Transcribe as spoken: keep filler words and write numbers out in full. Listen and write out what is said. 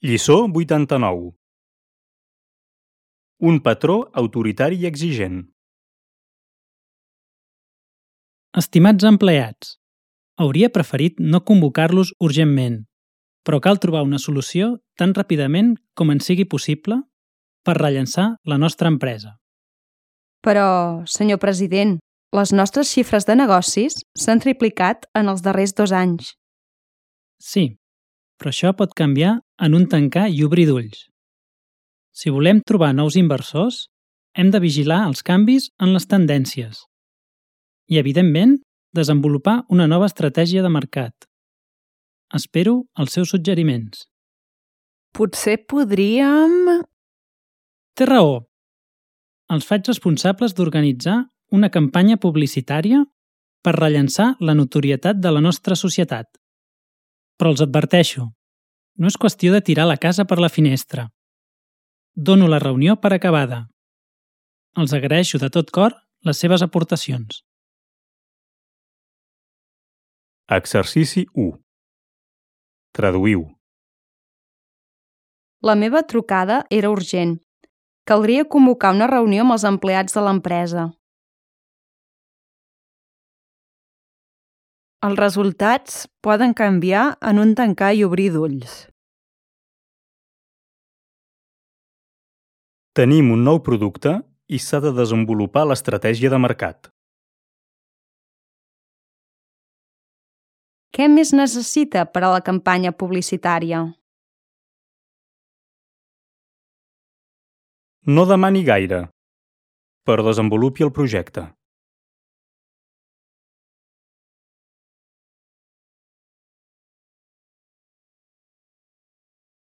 Lliçó vuitanta-nou. Un patró autoritari i exigent. Estimats empleats, hauria preferit no convocar-los urgentment, però cal trobar una solució tan ràpidament com en sigui possible per rellançar la nostra empresa. Però, senyor president, les nostres xifres de negocis s'han triplicat en els darrers dos anys. Sí, però això pot canviar en un tancar i obrir d'ulls. Si volem trobar nous inversors, hem de vigilar els canvis en les tendències i, evidentment, desenvolupar una nova estratègia de mercat. Espero els seus suggeriments. Potser podríem... Té raó. Els faig responsables d'organitzar una campanya publicitària per rellançar la notorietat de la nostra societat. Però els adverteixo, no és qüestió de tirar la casa per la finestra. Dono la reunió per acabada. Els agraeixo de tot cor les seves aportacions. Exercici u. Traduïu. La meva trucada era urgent. Caldria convocar una reunió amb els empleats de l'empresa. Els resultats poden canviar en un tancar i obrir d'ulls. Tenim un nou producte i s'ha de desenvolupar l'estratègia de mercat. Què més necessita per a la campanya publicitària? No demani gaire, però desenvolupi el projecte.